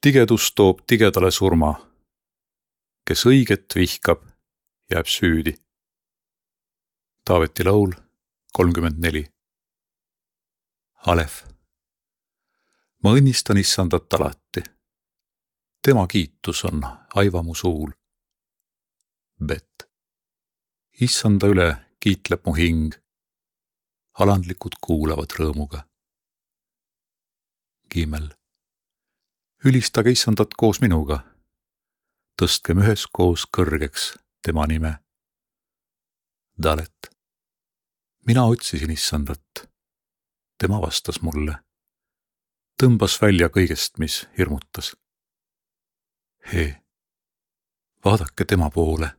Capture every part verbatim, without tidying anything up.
Tigedus toob tigedale surma. Kes õiget vihkab, jääb süüdi. Taaveti laul kolmkümmend neli. Alef. Ma õnnistan issandat alati. Tema kiitus on aiva mu suul. Bet. Issanda üle kiitleb mu hing. Alandlikud kuulavad rõõmuga. Gimel. Ülistage issandat koos minuga. Tõstkem üheskoos kõrgeks tema nime. Dalet. Mina otsisin issandat. Tema vastas mulle. Tõmbas välja kõigest, mis hirmutas. Hee. Vaadake tema poole.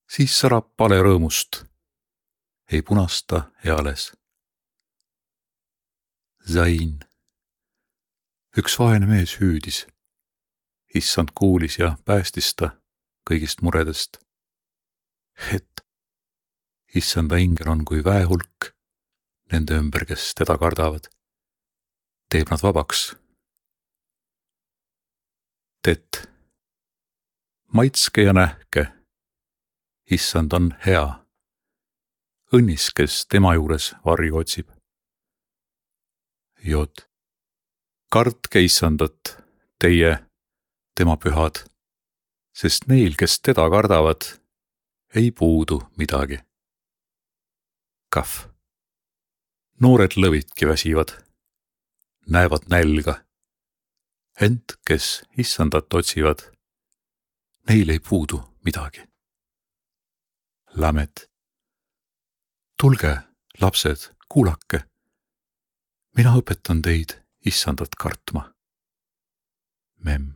Siis särab pale rõõmust. Ei punasta eales. Zain. Üks vaene mees hüüdis. Issand kuulis ja päästis ta kõigist muredest. Het. Issanda ingel on kui väehulk nende ümber, kes teda kardavad. Teeb nad vabaks. Tet. Maitske ja nähke. Issand on hea. Õnnis, kes tema juures varju otsib. Jod. Kartke issandat, teie, tema pühad, sest neil, kes teda kardavad, ei puudu midagi. Kaf. Noored lõvidki väsivad, näevad nälga. Ent, kes issandat otsivad, neil ei puudu midagi. Lamed. Tulge, lapsed, kuulake. Mina õpetan teid issandat kartma. Mem.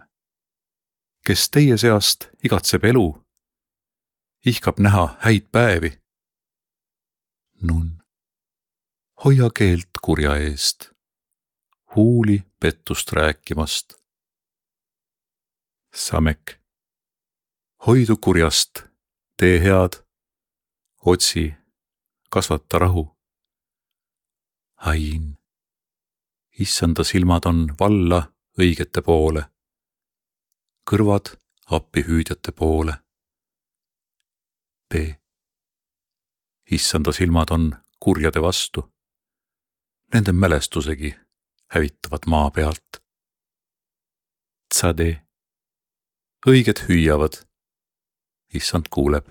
Kes teie seast igatseb elu, ihkab näha häid päevi. Nun. Hoia keelt kurja eest, huuli pettust rääkimast. Samek. Hoidu kurjast, tee head, otsi, kasvata rahu. Ain. Issanda silmad on valla õigete poole, kõrvad appihüüdjate poole. P. Issanda silmad on kurjade vastu, nende mälestusegi hävitavad maa pealt. Tsade. Õiged hüüavad, issand kuuleb,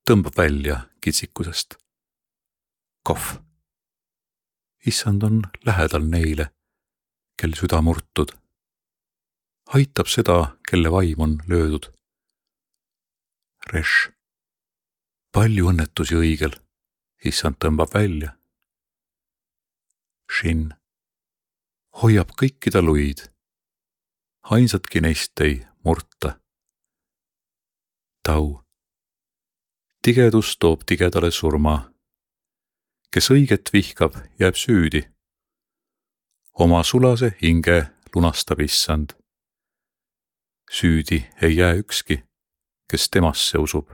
tõmbab välja kitsikusest. Kohv. Issand on lähedal neile, kel süda murtud. Aitab seda, kelle vaim on löödud. Reš. Palju õnnetusi õigel, issand tõmbab välja. Shin. Hoiab kõikida luid. Ainsatki neist ei murta. Tau. Tigedus toob tigedale surma. Kes õiget vihkab, jääb süüdi. Oma sulase hinge lunastab issand. Süüdi ei jää ükski, kes temasse usub.